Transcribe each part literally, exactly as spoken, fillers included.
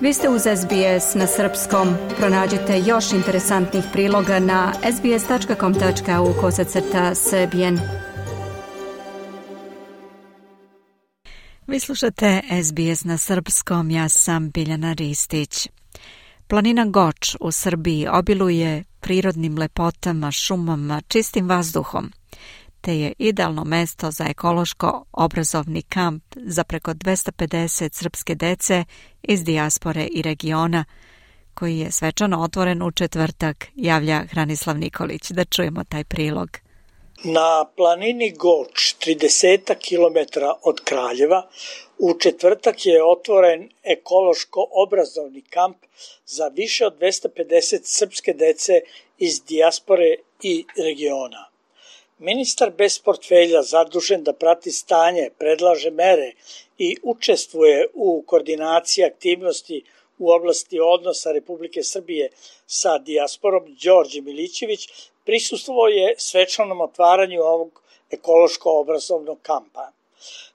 Vi ste uz S B S na srpskom. Pronađite još interesantnih priloga na sbs.com.au kosacrta srbijen. Vi slušate S B S na srpskom, ja sam Biljana Ristić. Planina Goč u Srbiji obiluje prirodnim lepotama, šumama, čistim vazduhom, te je idealno mesto za ekološko-obrazovni kamp za preko dvesta pedeset srpske dece iz dijaspore i regiona, koji je svečano otvoren u četvrtak, javlja Hranislav Nikolić. Da čujemo taj prilog. Na planini Goč, trideset kilometara od Kraljeva, u četvrtak je otvoren ekološko-obrazovni kamp za više od dvesta pedeset srpske dece iz dijaspore i regiona. Ministar bez portfelja zadužen da prati stanje, predlaže mere i učestvuje u koordinaciji aktivnosti u oblasti odnosa Republike Srbije sa dijasporom, Đorđe Milićević, prisustvovao je svečanom otvaranju ovog ekološko-obrazovnog kampa.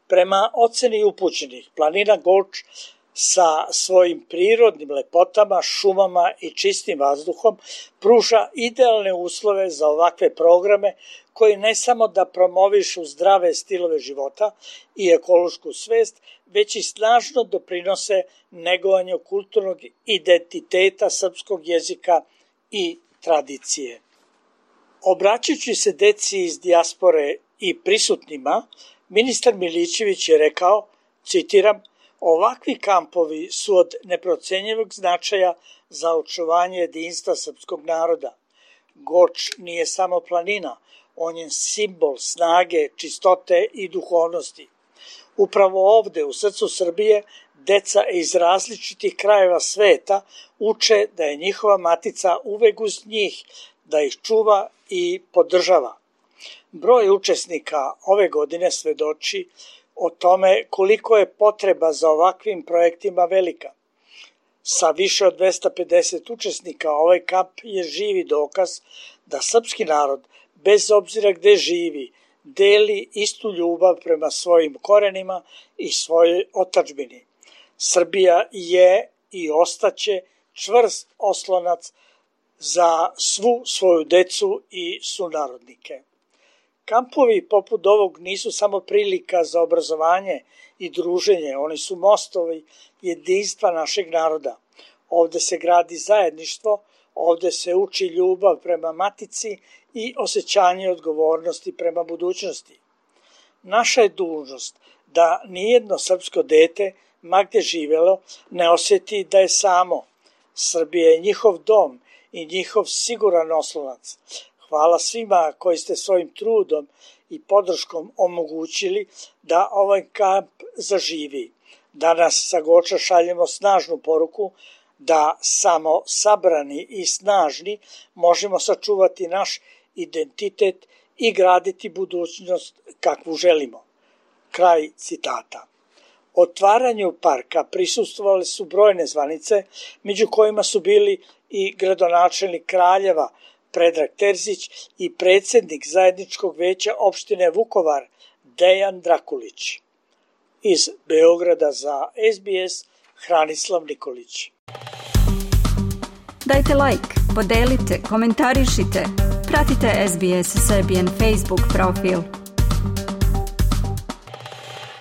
Prema oceni upućenih, planina Goč sa svojim prirodnim lepotama, šumama i čistim vazduhom pruža idealne uslove za ovakve programe koji ne samo da promovišu zdrave stilove života i ekološku svest, već i snažno doprinose negovanju kulturnog identiteta srpskog jezika i tradicije. Obraćajući se deci iz dijaspore i prisutnima, ministar Milićević je rekao, citiram, ovakvi kampovi su od neprocenjivog značaja za očuvanje jedinstva srpskog naroda. Goč nije samo planina, on je simbol snage, čistote i duhovnosti. Upravo ovde, u srcu Srbije, deca iz različitih krajeva sveta uče da je njihova matica uvek uz njih, da ih čuva i podržava. Broj učesnika ove godine svedoči o tome koliko je potreba za ovakvim projektima velika. Sa više od dvesta pedeset učesnika ovaj kamp je živi dokaz da srpski narod, bez obzira gde živi, deli istu ljubav prema svojim korenima i svojoj otadžbini. Srbija je i ostaće čvrst oslonac za svu svoju decu i sunarodnike. Kampovi poput ovog nisu samo prilika za obrazovanje i druženje, oni su mostovi jedinstva našeg naroda. Ovde se gradi zajedništvo, ovde se uči ljubav prema matici i osjećanje odgovornosti prema budućnosti. Naša je dužnost da nijedno srpsko dete, ma gde živelo, ne osjeti da je samo. Srbija je njihov dom i njihov siguran oslonac. Hvala svima koji ste svojim trudom i podrškom omogućili da ovaj kamp zaživi. Danas sa Goča šaljemo snažnu poruku da samo sabrani i snažni možemo sačuvati naš identitet i graditi budućnost kakvu želimo. Kraj citata. Otvaranju parka prisustvovale su brojne zvanice, među kojima su bili i gradonačelnik Kraljeva Predrag Terzić i predsjednik zajedničkog veća opštine Vukovar Dejan Drakulić. Iz Beograda za S B S Hranislav Nikolić. Dajte like, podelite, komentarišite, pratite S B S Serbian Facebook profil.